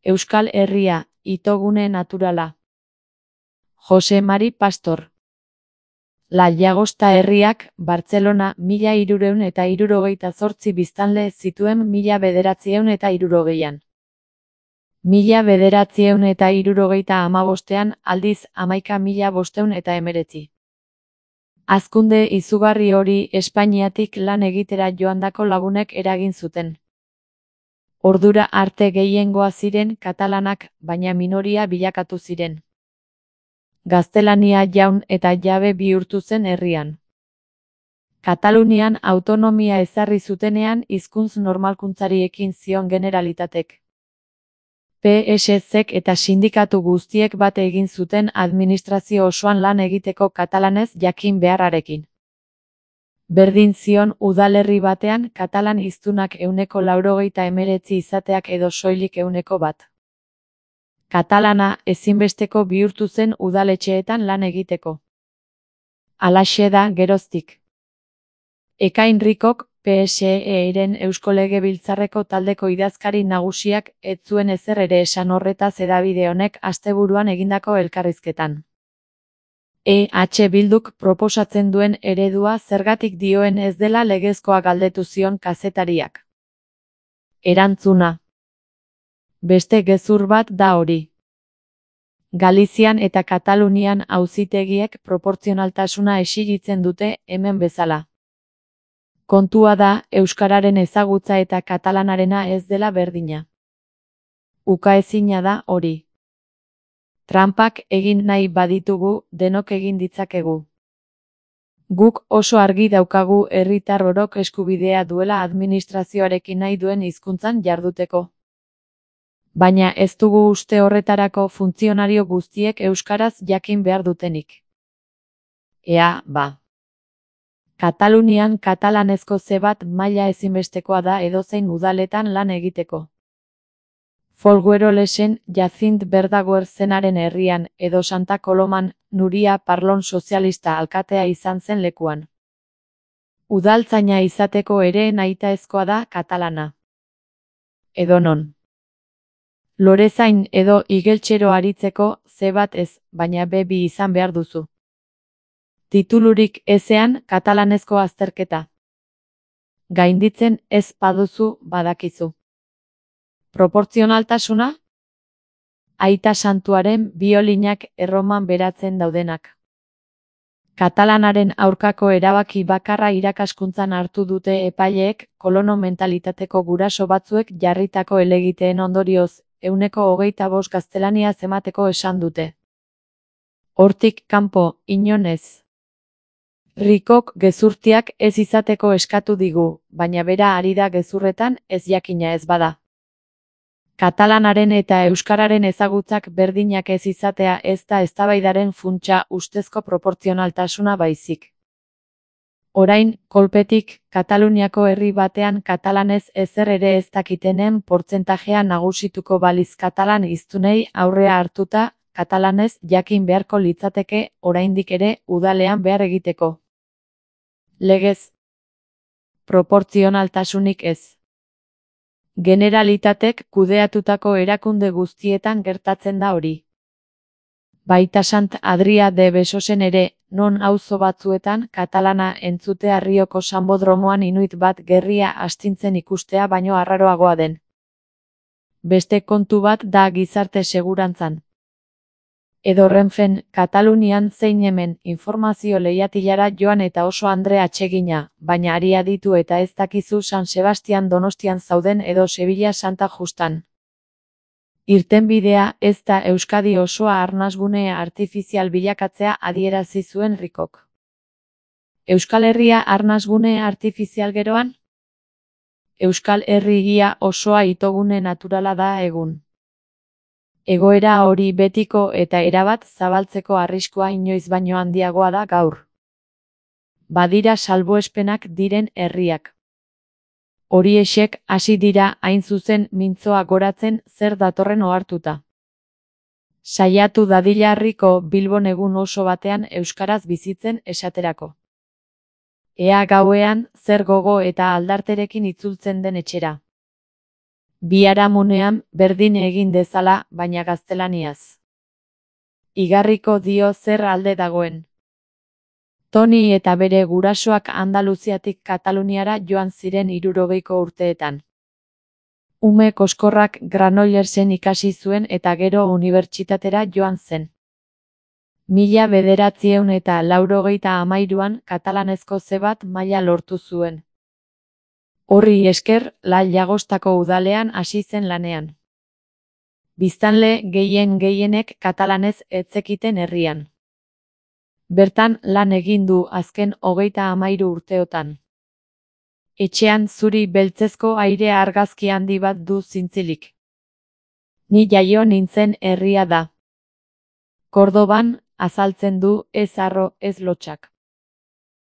Euskal Herria, itogune naturala. Jose Mari Pastor. La Llagosta herriak, Bartzelona, 1378 biztanle zituen 1960an. 1975an aldiz 11.519. Hazkunde izugarri hori Espainiatik lan egitera joandako lagunek eragin zuten. Ordura arte gehiengoa ziren katalanak, baina minoria bilakatu ziren. Gaztelania jaun eta jabe bihurtu zen herrian. Katalunian autonomia ezarri zutenean hizkuntz normalkuntzari ekin zion Generalitatek. PSZ eta sindikatu guztiek bat egin zuten administrazio osoan lan egiteko katalanez jakin beharrarekin. Berdin zion udalerri batean katalan hiztunak 99% izateak edo soilik 1%. Katalana ezinbesteko bihurtu zen udaletxeetan lan egiteko. Halaxe da geroztik. Ekain Ricok, PSE-ren Eusko Legebiltzarreko taldeko idazkari nagusiak ez zuen ezer ere esan horretaz hedabide honek asteburuan egindako elkarrizketan. EH Bilduk proposatzen duen eredua zergatik dioen ez dela legezkoa galdetu zion kazetariak. Erantzuna. Beste gezur bat da hori. Galizian eta Katalunian auzitegiek proportzionaltasuna exigitzen dute hemen bezala. Kontua da, euskararen ezagutza eta katalanarena ez dela berdina. Ukaezina da hori. Tranpak egin nahi baditugu, denok egin ditzakegu. Guk oso argi daukagu herritar orok eskubidea duela administrazioarekin nahi duen hizkuntzan jarduteko. Baina ez dugu uste horretarako funtzionario guztiek euskaraz jakin behar dutenik. Ea, ba. Katalunian katalanezko ze bat maila ezinbestekoa da edozein udaletan lan egiteko. Folguerolesen Jacint Verdaguer zenaren herrian edo Santa Koloman Nuria Parlon sozialista alkatea izan zen lekuan. Udaltzaina izateko ere nahitaezkoa da katalana. Edonon. Lorezain edo igeltsero aritzeko ze bat ez, baina B2 izan behar duzu. Titulurik ezean katalanezko azterketa. Gainditzen ez baduzu badakizu. Proportzionaltasuna? Aita Santuaren biolinak Erroman beratzen daudenak. Katalanaren aurkako erabaki bakarra irakaskuntzan hartu dute epaileek kolono mentalitateko guraso batzuek jarritako helegiteen ondorioz, 25% gaztelania emateko esan dute. Hortik kanpo, inon ez. Ricok gezurtiak ez izateko eskatu digu, baina bera ari da gezurretan ez jakina ez bada. Katalanaren eta euskararen ezagutzak berdinak ez izatea ez da eztabaidaren funtsa ustezko proportzionaltasuna baizik. Orain, kolpetik, Kataluniako herri batean katalanez ezer ere ez dakitenen portzentajea nagusituko baliz katalan hiztunei aurrea hartuta, katalanez jakin beharko litzateke oraindik ere udalean behar egiteko. Legez. Proportzionaltasunik ez. Generalitatek kudeatutako erakunde guztietan gertatzen da hori. Baita Sant Adria de Besosen ere, non auzo batzuetan katalana entzutea Rioko Sanbodromoan inuit bat gerria astintzen ikustea baino arraroagoa den. Beste kontu bat da gizarte segurantzan. Edo Renfen, Katalunian zein hemen informazio lehiatilara joan eta oso andre atsegina, baina ari aditu eta ez dakizu San Sebastian Donostian zauden edo Sevilla Santa Justan. Irtenbidea ez da Euskadi osoa arnasgune artifizial bilakatzea adierazi zuen Ricok. Euskal Herria arnasgune artifizial geroan? Euskal Herria osoa itogune naturala da egun. Egoera hori betiko eta erabat zabaltzeko arriskua inoiz baino handiagoa da gaur. Badira salbuespenak diren herriak. Horiexek hasi dira hain zuzen mintzoa goratzen zer datorren ohartuta. Saiatu dadila Riko Bilbon egun oso batean euskaraz bizitzen esaterako. Ea gauean zer gogo eta aldarterekin itzultzen den etxera. Biharamunean berdin egin dezala, baina gaztelaniaz. Igarriko dio zer alde dagoen. Toni eta bere gurasoak Andaluziatik Kataluniara joan ziren 60ko urteetan. Ume koskorrak Granollersen ikasi zuen eta gero unibertsitatera joan zen. 1983an katalanezko C1 maila lortu zuen. Horri esker, La Llagostako udalean hasi zen lanean. Biztanle gehienek katalanez ez zekiten herrian. Bertan lan egin du azken 33 urteotan. Etxean zuri beltzezko aire argazki handi bat du zintzilik. Ni jaio nintzen herria da. Kordoban, azaltzen du, ez harro, ez lotsak.